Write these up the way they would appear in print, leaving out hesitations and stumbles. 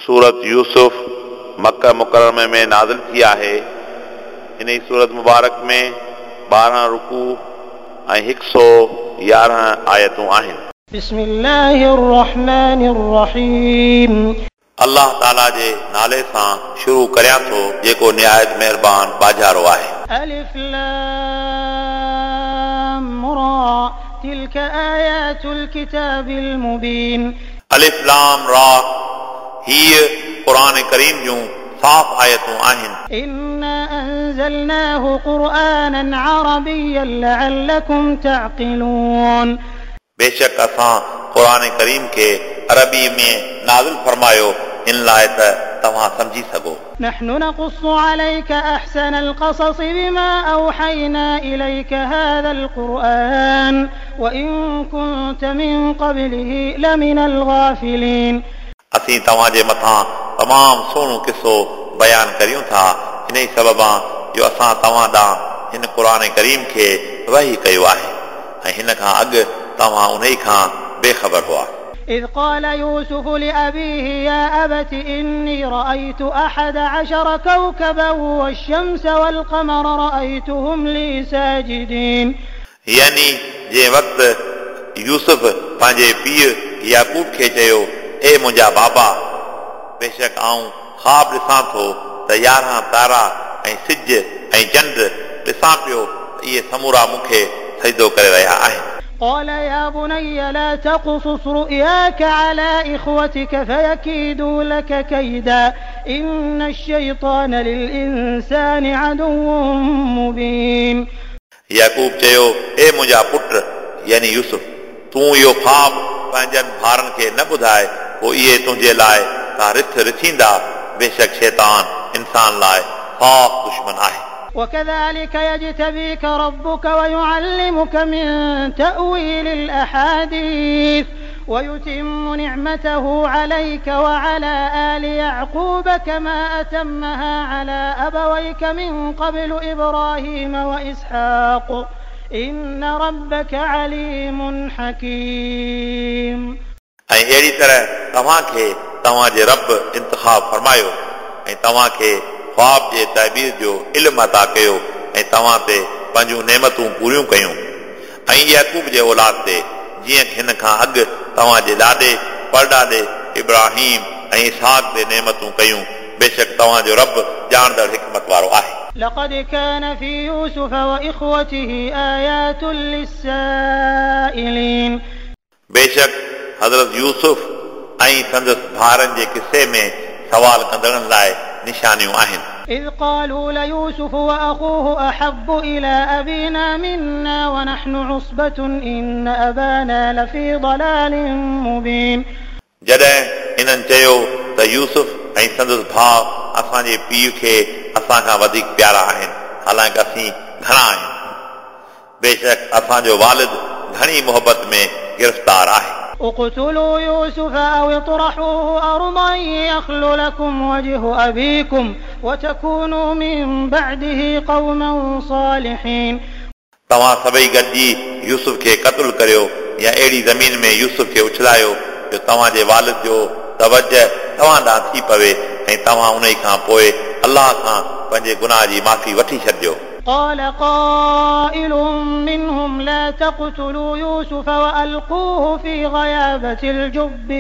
सूरत यूसुफ मक्का मुकर्रमे में नाज़िल थी आहे। इन ई सूरत मुबारक में 12 रुकू ऐं 111 आयतूं आहिनि। बिस्मिल्लाहिर रहमानिर रहीम। अल्लाह ताला जे नाले सां शुरू करियां थो जेको निहायत महिरबान बाजारो आहे। अलिफ लाम रा तिल्क आयातुल किताबिल मुबीन। अलिफ लाम रा हीअ क़ुरान करीम जूं साफ़ आयतूं आहिनि। इन्ना अंज़लनाहु क़ुरआनन अरबिय्यन लअल्लकुम तअक़िलून। बेशक असां क़ुरान करीम खे अरबी में नाज़िल फरमायो इन लाइ त तव्हां सम्झी सघो। नहनु नक़ुस्सु अलैका अहसनल क़सस बिमा औहयना इलैका हाज़ल क़ुरआन व इन कुन्त मिन क़ब्लिही लमिनल ग़ाफ़िलीन। असीं तव्हांजे मथां तमामु सुहिणो किसो बयानु करियूं था इन ई सबबां जो असां तव्हां ॾांहुं हिन क़ुरान करीम खे वही कयो आहे ऐं हिन खां अॻु तव्हां उन खां बेख़बर हुआ। إذ قال يوسف لأبيه يا أبت إني رأيت 11 كوكبا والشمس والقمر رأيتهم لي ساجدين। यानी जंहिं वक़्तु यूसुफ पंहिंजे पीउ याकूब खे चयो, ए मुंहिंजा बाबा, बेशक आऊं ख़्वाब ॾिसां थो त 11 तारा ऐं सिज ऐं चंड ॾिसां पियो, इहे समूरा मूंखे सजदो करे रहिया आहिनि। قال يا بني لا تقصص رؤياك على إخوتك فيكيدوا لك كيدا إن الشيطان للإنسان عدو مبين। याकूब चयो, ए मुंहिंजा पुट यानी यूसुफ, तूं इहो ख़्वाब पंहिंजनि भाइरनि खे न ॿुधाए, पोइ इहे तुंहिंजे लाइ का रिथ रिथींदा। बेशक शैतान इंसान लाइ साफ़ दुश्मन आहे। وكذلك يجتبيك ربك ويعلمك من تأويل الأحاديث ويتم نعمته عليك وعلى آل يعقوب كما أتمها على أبويك من قبل إبراهيم وإسحاق إن ربك عليم حكيم। ऐं अहिड़ी तरह तव्हांखे तव्हांजे रब इंतिखाब फरमायो ऐं तव्हांखे ख़्वाब जे तबीर जो इल्मु अता कयो ऐं तव्हां ते पंहिंजूं नेमतूं पूरियूं कयूं ऐं याकूब जे औलाद ते जीअं हिन खां अॻु तव्हांजे ॾाॾे परॾाॾे इब्राहिम ऐं इसहाक ते नेमतूं कयूं। बेशक तव्हांजो रब ॼाणंदड़ हिकमत वारो आहे। لقد كان في يوسف وإخوته آيات للسائلين। बेशक हज़रत यूसुफ ऐं संदसि भाइरनि जे किसे में सवाल कंदड़नि लाइ निशानियूं आहिनि। إذ قالوا ليوسف وأخوه أحب إلى أبينا منا ونحن عصبة إن أبانا لفي ضلال مبين। जॾहिं इन्हनि चयो त यूसुफ ऐं संदसि भाउ असांजे पीउ खे असां खां वधीक प्यारा आहिनि, हालांकि असीं घणा आहियूं, बेशक असांजो वालिद घणी मोहबत में गिरफ़्तार आहे। اقتلوا يوسف أو اطرحوه أرضا يخل لكم وجه أبيكم وتكونوا من بعده قوما صالحين। तव्हां सभई गॾिजी यूसुफ खे क़तलु करियो या अहिड़ी ज़मीन में यूसुफ खे उछलायो जो तव्हांजे वालिद जो तवजह तव्हां ॾांहुं थी पवे ऐं तव्हां उन खां पोइ अल्लाह खां पंहिंजे गुनाह जी माफ़ी वठी छॾिजो। قال قائل منهم لا تقتلوا يوسف وألقوه في غيابة الجب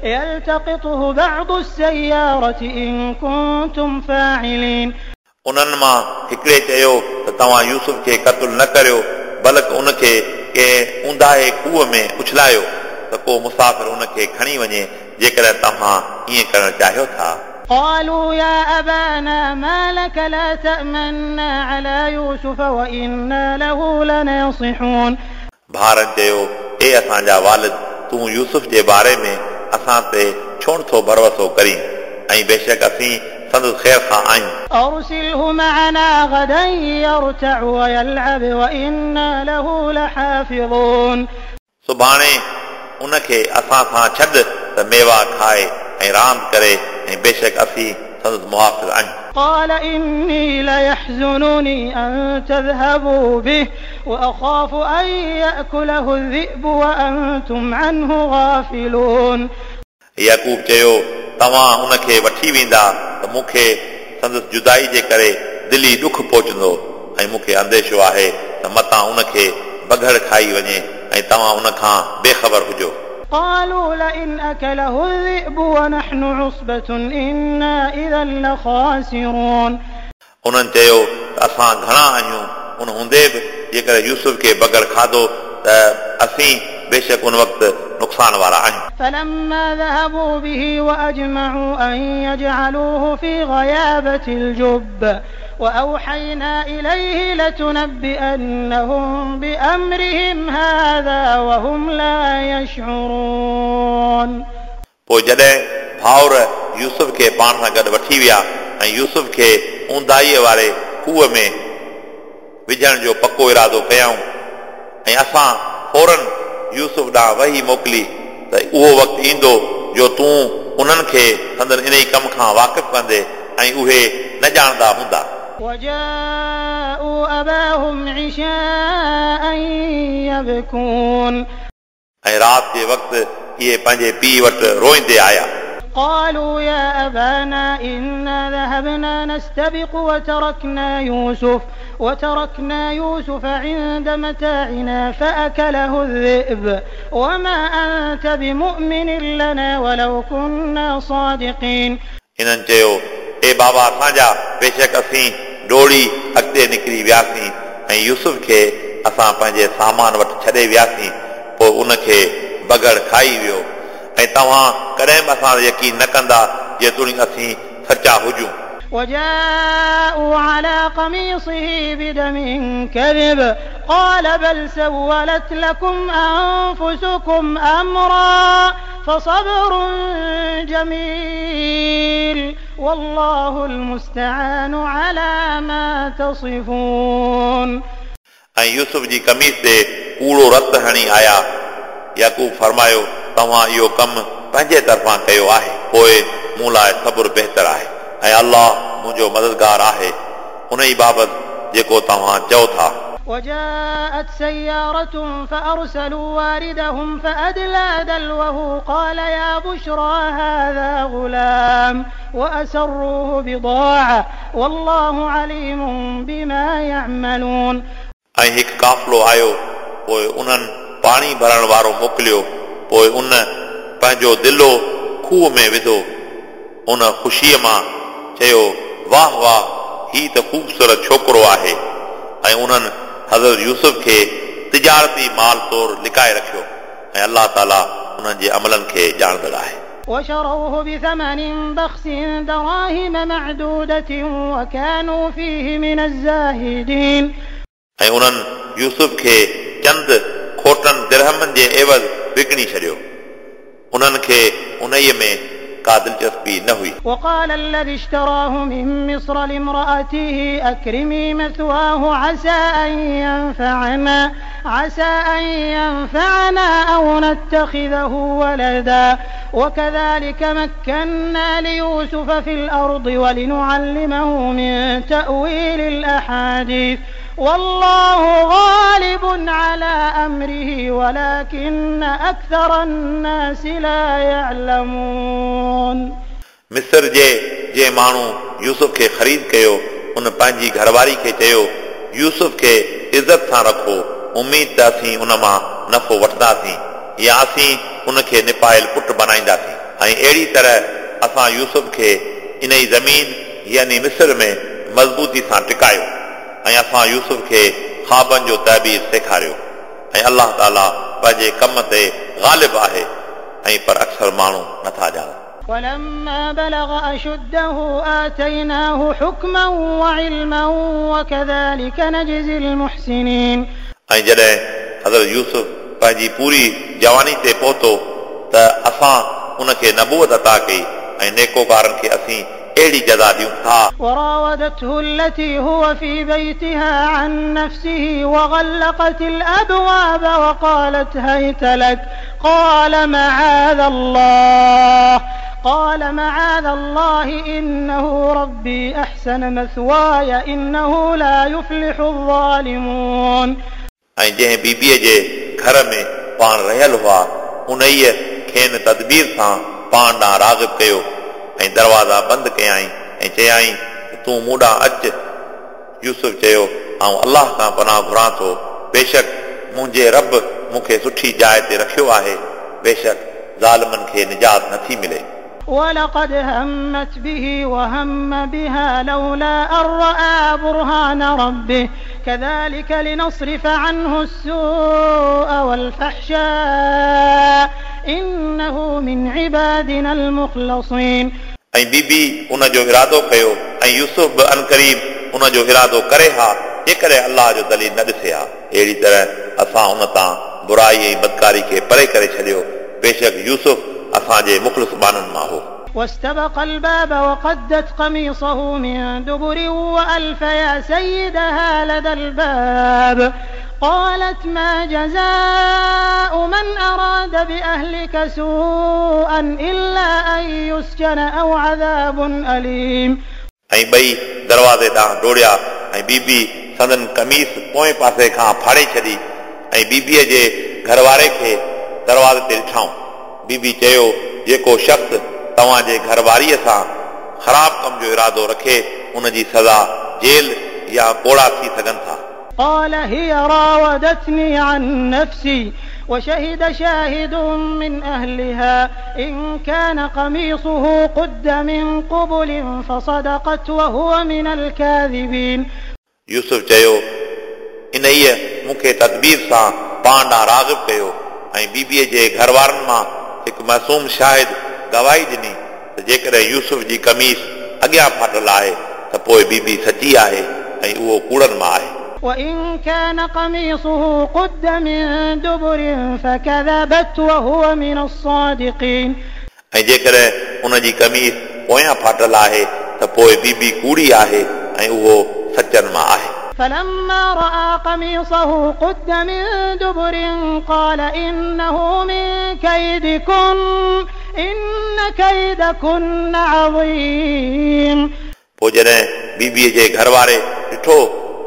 يلتقطه بعض السيارة إن كنتم فاعلين। उन्हनि मां हिकिड़े चयो त तव्हां यूसुफ खे क़तलु न करियो, बल्कि उनखे कंहिं ऊंदाहे खूह में उछलायो त को मुसाफ़िर उनखे खणी वञे, जेकॾहिं तव्हां ईअं करणु चाहियो था। قالوا يا أبانا ما لك لا تأمنا على يوسف وإنا له لناصحون। भाइरनि चयो, ए असांजा वालिद, तूं यूसुफ जे बारे में असां ते छो नथो भरोसो करीं ऐं बेशक असीं संदसि ख़ैर खां आहियूं। أرسله معنا غدا يرتع ويلعب وإنا له لحافظون। सुभाणे उनखे असां सां छॾ त मेवा खाए ऐं रांदि करे ऐं बेशक असीं संदसि मुहाफ़िज़ आहियूं। قال إني ليحزنني أن تذهبوا به وأخاف أن يأكله الذئب وأنتم عنه غافلون. याकूब चयो, तव्हां उनखे वठी वेंदा त मूंखे संदसि जुदाई जे करे दिली ॾुख पहुचंदो ऐं मूंखे अंदेशो आहे त मतां उनखे बघड़ खाई वञे ऐं तव्हां उन खां बेख़बर हुजो। قالوا لئن أكله الذئب ونحن عصبة إنا إذا لخاسرون. उन्हनि चयो त असां घणा आहियूं, उन हूंदे बि जेकर यूसुफ खे बगड़ खाधो त असीं बेशक उन वक़्तु नुक़सान वारा आहियूं। فلما ذهبوا به وأجمعوا أن يجعلوه في غيابة الجب وأوحينا إليه لتنبئنهم بأمرهم هذا وهم لا يشعرون. पोइ जॾहिं भाउर यूसुफ खे पाण सां गॾु वठी विया ऐं यूसुफ खे ऊंदाईअ वारे खूह में विझण जो पको इरादो कयाऊं ऐं असां फौरन यूसुफ ॾांहुं वही मोकिली त उहो वक़्तु ईंदो जो तूं उन्हनि खे संदन इन ई कम खां वाक़िफ़ कंदे ऐं उहे न ॼाणंदा हूंदा। وجاءوا أباهم عشاء يبكون. ऐं राति जे वक़्तु इहे पंहिंजे पीउ वटि रोईंदे आया। قالوا يا أبانا إنا ذهبنا نستبق وتركنا يوسف عند متاعنا فأكله الذئب وما أنت بمؤمن لنا ولو كنا صادقين. हिननि चयो, ए बाबा असांजा, बेशक असीं डोड़ी अॻिते निकिरी वियासीं ऐं यूसुफ खे असां पंहिंजे सामान वटि छॾे वियासीं, पोइ उनखे बगड़ खाई वियो ऐं तव्हां कॾहिं बि असां ते यकीन न कंदा जेतोणीकि असीं सचा हुजूं। وجاءوا على قميصه بدم كذب قال بل سولت لكم أنفسكم أمرا فصبر جميل والله المستعان على ما تصفون. ऐं यूसुफ जी कमीज़ ते कूड़ो रत हणी आया। याकूब फरमायो, तव्हां इहो कमु पंहिंजे तरफ़ां कयो आहे, पोइ मूं लाइ सब्र बहितर आहे ऐं अल्लाह मुंहिंजो मददगार आहे उन ई बाबति जेको तव्हां चओ था। وجاءت سيارة فأرسلوا واردهم فأدلى دلوه قال يا بشرى هذا غلام وأسروه بضاعة والله عليم بما يعملون. ऐं हिकु काफ़िलो आयो, पोइ उन्हनि पाणी भरण वारो मोकिलियो, पोइ उन पंहिंजो दिलो खूह में विधो। उन ख़ुशीअ मां चयो, वाह वाह, हीउ त ख़ूबसूरत छोकिरो आहे। ऐं उन्हनि हज़रत यूसुफ खे तिजारती माल तौर लिकाए रखियो ऐं अलाह ताला उन्हनि जे अमलनि खे ॼाणंदड़ आहे। وشروه بثمن بخس دراهم معدودة وكانوا فيه من الزاهدين. ऐं उन्हनि यूसुफ खे चंद खोटनि दिरहमनि जे एवज़ विकिणी छॾियो। उन्हनि खे उन्हीअ में का दिलचस्पी न हुई। وقال الذي اشتراه من مصر لامرأته أكرمي مثواه عسى أن ينفعنا أو نتخذه ولدا وكذلك مكنا ليوسف في الأرض ولنعلمه من تأويل الأحاديث والله غالب على أمره ولكن أكثر الناس لا يعلمون. मिस्र जे जे माण्हू यूसुफ खे ख़रीद कयो, उन पंहिंजी घरवारी खे चयो, यूसुफ खे इज़त सां रखो, उमेद त असीं उन मां नफ़ो वठंदासीं या असीं उनखे निपायल पुट बनाईंदासीं। ऐं अहिड़ी तरह असां यूसुफ खे इन ई ज़मीन यानी मिस्र में मज़बूती सां टिकायो ऐं असां यूसुफ खे ख़्वाबनि जो तइबीर सेखारियो ऐं अलाह ताला पंहिंजे कम ते ग़ालिब आहे ऐं पर अक्सर माण्हू नथा ॼाणनि। ولما بلغ أشده آتيناه حكما وعلما وكذلك نجزي المحسنين. ऐं जॾहिं हज़रत यूसुफ पंहिंजी पूरी जवानी ते पहुतो त असां उनखे नबूअत अता कई ऐं नेकोकारनि खे असीं अहिड़ी जज़ा ॾियूं था। وراودته التي هو في بيتها عن نفسه وغلقت الأبواب وقالت هيت لك قال معاذ الله إنه ربي أحسن مثواي إنه لا يفلح الظالمون. ऐं जंहिं बीबीअ जे घर में पाण रहियल हुआ, उन्हीअ खेनि तदबीर सां पाण ॾांहुं राग़िब कयो ऐं दरवाज़ा बंदि कयाईं ऐं चयाईं त तूं मूं ॾांहुं अच। यूसुफ चयो, आउं अलाह खां पनाह घुरां थो, बेशक मुंहिंजे रब मूंखे सुठी जाइ ते रखियो आहे, बेशक ज़ालिमनि खे निजात नथी मिले। ولقد همت به وهم بها لولا أن رأى برهان ربه كذلك لنصرف عنه السوء والفحشاء إنه من عبادنا المخلصين। ऐं बीबी उन जो इरादो कयो ऐं यूसुफ बि अनक़रीब उन जो इरादो करे हा, जेकॾहिं अलाह जो दलील न ॾिसे हा। अहिड़ी तरह असां उन तां बुराई ऐं बदकारी खे परे करे छॾियो, बेशक यूसुफ असांजे मुख़लिस ॿाननि मां हो। واستبق الباب وقدت قميصه من دبر وألف يا سيدها لدى الباب قالت ما جزاء من أراد بأهلك سوءا إلا أن يسجن أو عذاب أليم। ऐं ॿई दरवाज़े ॾांहुं डोड़िया ऐं बीबी संदन कमीस पोएं पासे खां फाड़े छॾी ऐं बीबीअ जे घरवारे खे दरवाज़े ते ॾिठाऊं। बीबी चयो, जेको शख़्स तव्हांजे घरवारीअ सां ख़राब कम जो इरादो रखे उन जी सज़ा जेल या कोड़ा थी सघनि था। قال هي راودتني عن نفسي وشهد شاهد من أهلها إن كان قميصه قد من قبل فصدقت وهو من الكاذبين। यूसुफ चयो, इन्हीअ मूंखे तदबीर सां पाण ॾांहुं राग़िब कयो ऐं बीबीअ जे घरवारनि मां हिकु मासूम शाहिद गवाही ॾिनी त जेकॾहिं यूसुफ जी कमीस अॻियां फाटल आहे त पोइ बीबी सची आहे ऐं उहो कूड़नि मां आहे। وإن كان قميصه قد من دبر فكذبت وهو من الصادقين। ऐं जेकॾहिं उन जी कमीस पोयां फाटल आहे त पोइ बीबी कूड़ी आहे ऐं उहो सचनि मां आहे। فلما رأى قميصه قد من دبر قال إنه من كيدكن إن كيدكن عظيم। पोइ जॾहिं बीबीअ जे घरवारे ॾिठो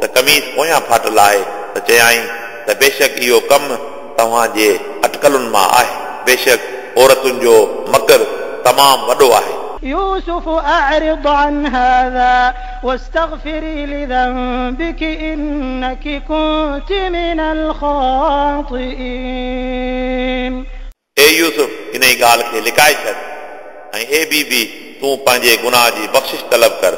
त कमीस पोयां फाटल आहे त चयाईं त बेशक इहो कमु तव्हांजे अटकलुनि मां आहे, बेशक औरतुनि जो मकर तमामु वॾो आहे। يوسف أعرض عن هذا واستغفري لذنبك إنك كنت من الخاطئين। ए यूसुफ, इन ॻाल्हि खे लिकाए छॾ ऐं ए बीबी, तूं पंहिंजे गुनाह जी बख़्शिश तलब कर,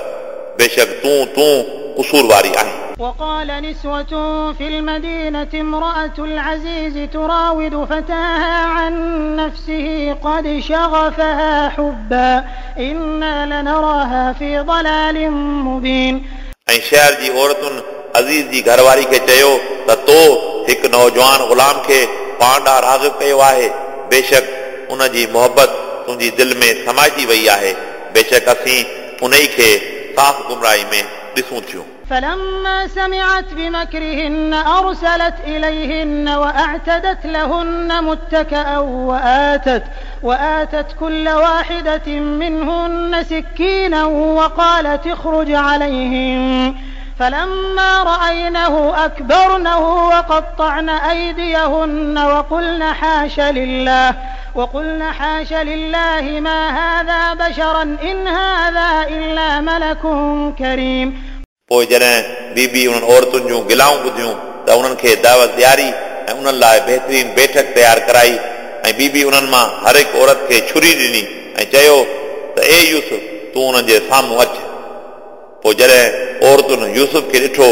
बेशक तूं तूं कसूर वारी आहीं। وقال نسوة في المدينة امرأة العزيز تراود فتاها عن نفسه قد شغفها حبا إنا لنراها في ضلال مبين। ऐं शहर जी औरतुनि अज़ीज़ जी घरवारी खे चयो त तो हिकु नौजवान ग़ुलाम खे पाण ॾांहुं राग़िब कयो आहे, बेशक उन जी मोहबत तुंहिंजी दिलि में समाइजी वई आहे, बेशक असीं उन खे साफ़ गुमराही में ॾिसूं थियूं। فلما سمعت بمكرهن أرسلت إليهن وأعتدت لهن متكأ وآتت كل واحدة منهن سكينا وقالت اخرج عليهم فلما رأينه أكبرنه وقطعن أيديهن وقلن حاش لله ما هذا بشرا إن هذا إلا ملك كريم। पोइ जॾहिं बीबी उन्हनि औरतुनि जूं गिलाऊं ॿुधियूं त उन्हनि खे दावत ॾियारी ऐं उन्हनि लाइ बहितरीन बैठक तयारु कराई ऐं बीबी उन्हनि मां हर हिकु औरत खे छुरी ॾिनी ऐं चयो त ए यूसुफ, तूं उन्हनि जे साम्हूं अच। पोइ जॾहिं औरतुनि यूसुफ खे ॾिठो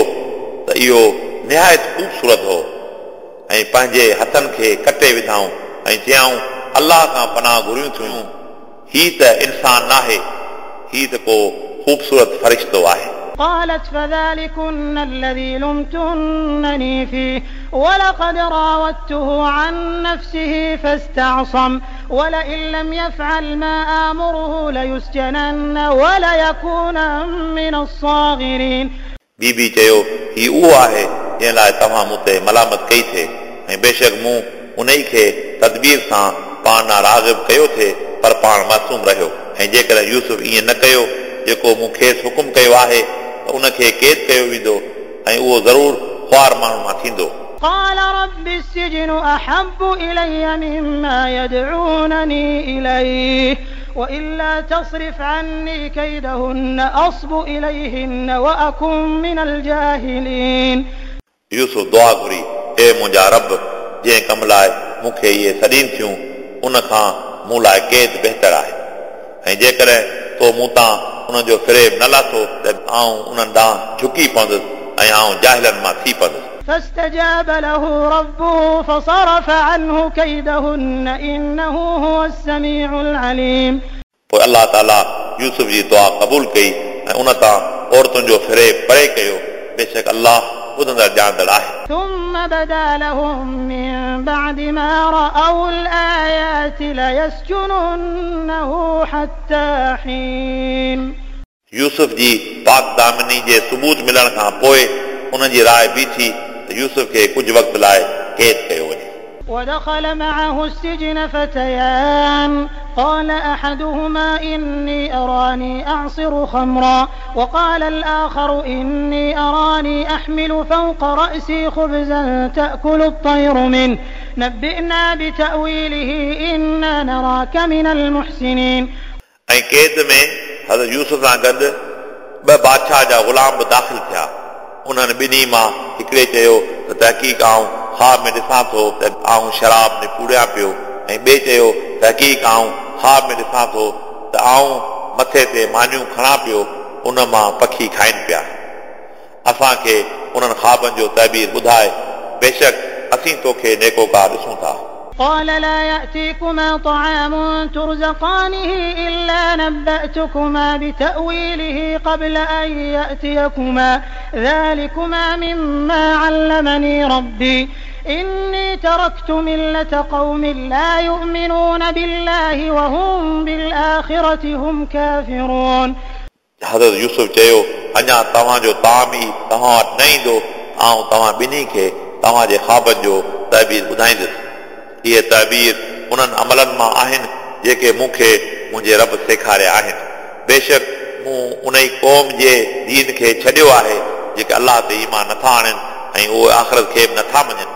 त इहो निहायत ख़ूबसूरत हो ऐं पंहिंजे हथनि खे कटे विधाऊं ऐं चयाऊं, अलाह खां पनाह घुरियूं थियूं, हीअ त इंसान नाहे, हीअ त को ख़ूबसूरत फ़रिश्तो आहे। قالت فذلكن الذي لمتنني فيه ولقد راودته عن نفسه فاستعصم ولئن لم يفعل ما آمره ليسجنن وليكونن من الصاغرين। बीबी चयो, हीअ उहो आहे जंहिं लाइ तव्हां मूं ते मलामत कई थिए ऐं बेशक मूं उन खे तदबीर सां पाण ॾांहुं राग़िब कयो थिए, पर पाण मासूम रहियो ऐं जेकॾहिं यूसुफ ईअं न कयो जेको मूं खेसि हुकुम कयो आहे त उन खे क़ैद कयो वेंदो ऐं उहो ज़रूरु ख़्वार माण्हू मां थींदो। قال رب السجن أحب إلي مما يدعونني إليه وإلا تصرف عني كيدهن أصب إليهن وأكن من الجاهلين. यूसुफ दुआ घुरी, ए मुंहिंजा रब, जंहिं कम लाइ मूंखे इहे सॾीनि थियूं उन खां मूं लाइ क़ैद बहितर आहे, ऐं जेकॾहिं तो मूं तां उन जो फ़रेब न लाथो त आउं उन्हनि ॾांहुं झुकी पवंदुसि ऐं आउं जाहिलनि मां थी पवंदुसि। فاستجاب له ربه فصرف عنه كيدهن إنه هو السميع العليم. पोइ अलाह ताला यूसुफ जी दुआ क़बूल कई ऐं उन तां औरतुनि जो फ़रेब परे कयो। बेशक अलाह ॿुधंदड़ ॼाणंदड़ आहे। ثم بدا لهم من بعد ما رأوا الآيات ليسجننه حتى حين. यूसुफ जी पाक दामनी जे सबूत मिलण खां पोइ उन्हनि जी राय बीठी त यूसुफ खे कुझु वक़्त लाइ क़ैद कयो वञे। ودخل معه السجن فتيان قال أحدهما إني أراني أعصر خمرا وقال الآخر إني أراني أحمل فوق رأسي خبزا تأكل الطير منه نبئنا بتأويله إنا نراك من المحسنين. ऐं क़ैद में हज़रत यूसुफ सां गॾु ॿ बादशाह जा ग़ुलाम बि दाख़िल थिया। उन्हनि ॿिन्ही मां हिकिड़े चयो त तहक़ीक़ आउं ख़्वाब में ॾिसां थो त आउं शराब निपूड़ियां पियो, ऐं ॿिए चयो तहक़ीक़ आउं ख़्वाब में ॾिसां थो त आउं मथे ते मानियूं खणां पियो, उन मां पखी खाइनि पिया। असांखे उन्हनि ख़्वाबनि जो तइबीर ॿुधाए, बेशक असीं तोखे नेकोकार ॾिसूं था। قال لا يأتيكما طعام ترزقانه إلا نبأتكما بتأويله قبل أن يأتيكما ذلكما مما علمني ربي إني تركت ملة قوم لا يؤمنون بالله وهم بالآخرة هم كافرون. हज़रत यूसुफ चयो, अञा तव्हांजो ताम ई तव्हां वटि न ईंदो, आउं तव्हां ॿिन्ही खे तव्हांजे ख़्वाबनि जो तइबीर ॿुधाईंदुसि। इहे तइबीर उन्हनि अमलनि मां आहिनि जेके मूंखे मुंहिंजे रब सेखारिया आहिनि। बेशक मूं उन ई क़ौम जे दीन खे छॾियो आहे जेके अलाह ते ईमान नथा आणनि ऐं उहे आख़िरत खे बि नथा मञनि।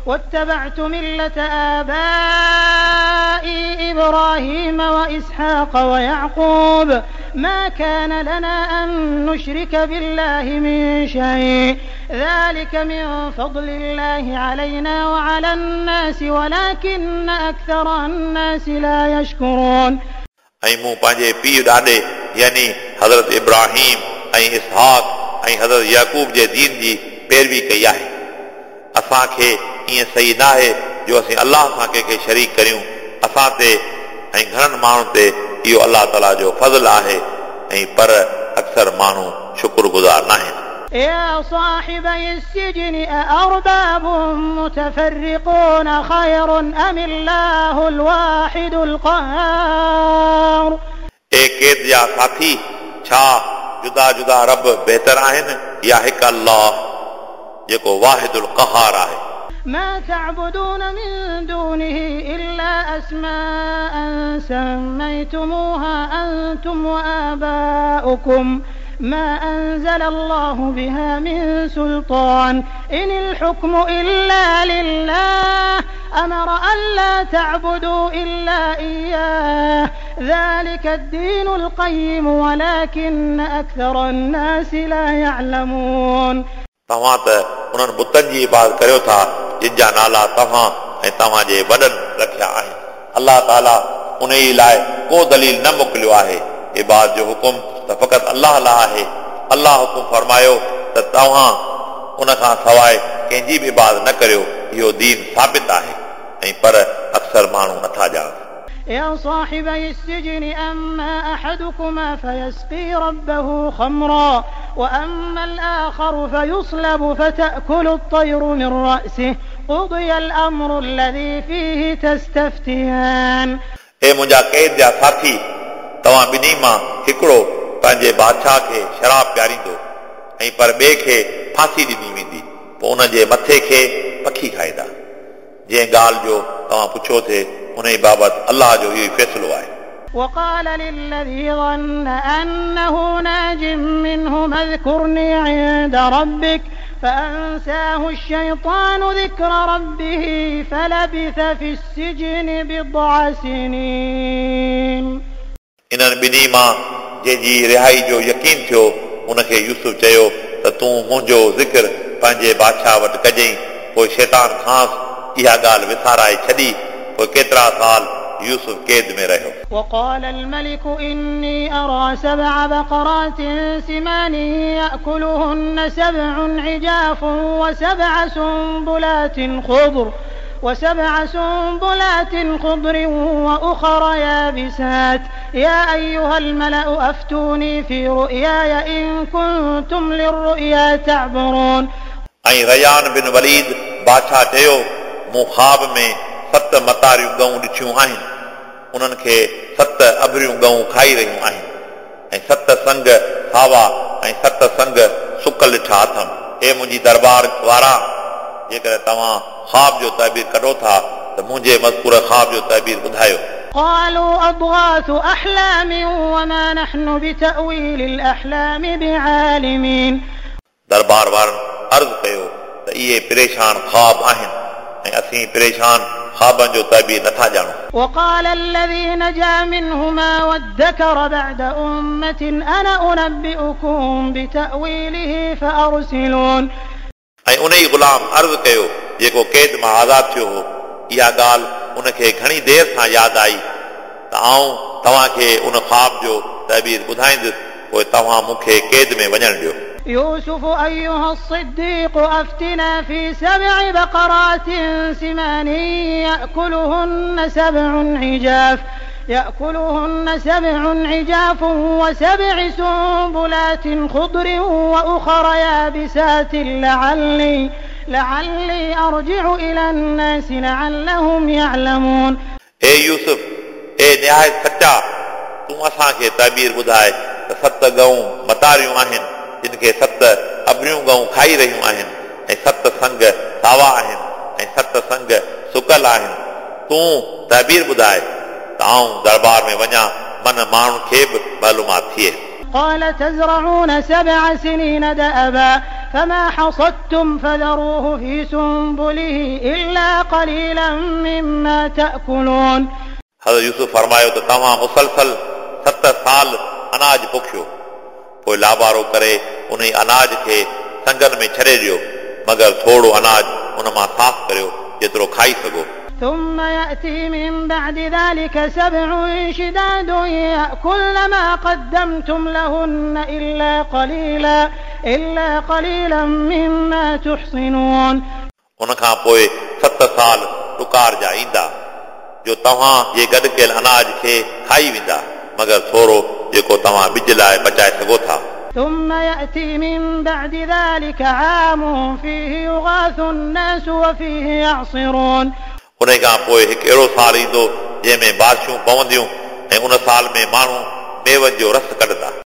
واتبعت ملة آبائي إبراهيم وإسحاق ويعقوب ما كان لنا أن نشرك بالله من شيء ذلك من فضل الله علينا وعلى الناس ولكن أكثر الناس لا يشكرون. ऐं मूं पंहिंजे पीउ ॾाॾे यानी हज़रत इब्राहिम ऐं इसहाक ऐं हज़रत याकूब जे दीन जी पैरवी कई आहे। असांखे ईअं सही न आहे जो असीं अलाह सां कंहिंखे शरीक करियूं। असां ते ऐं घणनि माण्हुनि ते इहो अलाह ताला जो फ़ज़ल आहे, ऐं पर अक्सर माण्हू शुक्रगुज़ार न आहिनि। يا صاحبي السجن أأرباب متفرقون خير أم الله الواحد القهار. ए क़ैद जा साथी, छा जुदा जुदा रब बहितर आहिनि या हिकु अलाह जेको वाहिदुल क़हार आहे? ما تعبدون من دونه إلا أسماء سميتموها أنتم وآباؤكم ما أنزل الله بها من سلطان إن الحكم إلا لله أمر ألا تعبدوا إلا إياه ذلك الدين القيم ولكن أكثر الناس لا يعلمون. तव्हां त उन्हनि बुतनि जी इबादत करियो था जिन जा नाला तव्हां ऐं तव्हांजे वॾनि रखिया आहिनि। अलाह ताला उन ई लाइ को दलील न मोकिलियो आहे। इबादत जो हुकुम त फ़क़ति अलाह लाइ आहे। अलाह हुकुम फरमायो त तव्हां उन खां सवाइ कंहिंजी बि इबादत न करियो। इहो दीन साबित आहे, ऐं पर अक्सर माण्हू नथा ॼाणनि। يا صاحبي السجن أما أحدكما فيسقي ربه خمرا وأما الآخر فيصلب فتأكل الطير من رأسه قضي الأمر الذي فيه تستفتيان. ए मुंहिंजा क़ैद जा साथी, तव्हां ॿिन्ही मां हिकिड़ो पंहिंजे बादशाह खे शराब पीआरींदो ऐं पर ॿिए खे फांसी ॾिनी वेंदी, पोइ उन जे मथे खे पखी खाईंदा। जंहिं ॻाल्हि जो तव्हां पुछो थे उन बाबति अलाह जो इहो ई फ़ैसिलो आहे। وقال للذي ظن أنه ناج منهما اذكرني عند ربك فأنساه الشيطان ذكر ربه فلبث في السجن بضع سنين. इन्हनि ॿिन्ही मां जंहिंजी रिहाई जो यकीन थियो उनखे यूसुफ चयो त तूं मुंहिंजो ज़िक्र पंहिंजे बादशाह वटि कजई। पोइ शैतान खांसि इहा ॻाल्हि विसाराए छॾी। पोइ केतिरा साल यूसुफ क़ैद में रहियो। وقال الملك إني أرى 7 بقرات سمان يأكلهن 7 عجاف وسبع سنبلات خضر وأخر يابسات يا أيها الملأ أفتوني في رؤياي إن كنتم للرؤيا تعبرون. ऐं रयान बिन वलीद बादशाह चयो मूं ख़्वाब में 7 मतारियूं ॻऊं ॾिठियूं आहिनि, उन्हनि खे 7 अबरियूं ॻऊं खाई रहियूं आहिनि ऐं 7 संग सावा ऐं 7 संग सुकल ॾिठा अथमि। हे मुंहिंजी दरबार वारा, जेकॾहिं तव्हां ख़्वाब जो तइबीर कढो था त मुंहिंजे मज़कूर ख़्वाब जो तइबीर ॿुधायो। قالوا أضغاث أحلام وما نحن بتأويل الأحلام بعالمين. दरबार वारनि अर्ज़ कयो त इहे परेशान ख़्वाब आहिनि ऐं असीं परेशान ख़्वाबनि जो तइबीर नथा ॼाणूं। وقال الذي نجا منهما وادكر بعد أمة أنا أنبئكم بتأويله فأرسلون. ऐं उन ई ग़ुलाम अर्ज़ कयो जेको क़ैद मां आज़ाद थियो हो, इहा ॻाल्हि उनखे घणी देरि सां यादि आई त आउं तव्हांखे उन ख़्वाब जो तइबीर ॿुधाईंदुसि, पोइ तव्हां मूंखे क़ैद में वञणु ॾियो। يوسف أيها الصديق أفتنا في 7 بقرات سمان يأكلهن 7 عجاف و7 سنبلات خضر وأخر يابسات لعلي أرجع إلى الناس لعلهم يعلمون. ए यूसुफ, ए निहायत सच्चा, तूं असांखे तइबीर ॿुधाए त 7 ॻऊं मतारियूं आहिनि जिन खे 7 अबरियूं ॻऊं खाई रहियूं आहिनि ऐं 7 संग सावा आहिनि ऐं 7 संग सुकल आहिनि। तूं तइबीर ॿुधाए त आउं दरबार में वञा, मन माण्हुनि खे बि मालूमात थिए। قال تزرعون 7 سنين دأبا فما حصدتم فذروه في سنبله إلا قليلا مما تأكلون. हज़रत यूसुफ फरमायो त तव्हां मुसलसल 7 साल अनाज पोखियो, पोइ लाबारो करे उन अनाज खे संगनि में छॾे ॾियो, मगर थोरो अनाज उन मां साफ़ करियो जेतिरो खाई सघो। ثم يأتي من بعد ذلك 7 شداد يأكلن ما قدمتم لهن إلا قليلا مما تحصنون. उन खां पोइ 7 साल ॾुकार जा ईंदा जो तव्हां जे गॾु कयल अनाज खे खाई वेंदा, मगर थोरो जेको तव्हां ॿिज लाइ बचाए सघो था। ثم يأتي من بعد ذلك عام فيه يغاث الناس وفيه يعصرون. उन खां पोइ हिकु अहिड़ो साल ईंदो जंहिंमें बारिशूं पवंदियूं ऐं उन साल में माण्हू मेवनि जो रस कढंदा।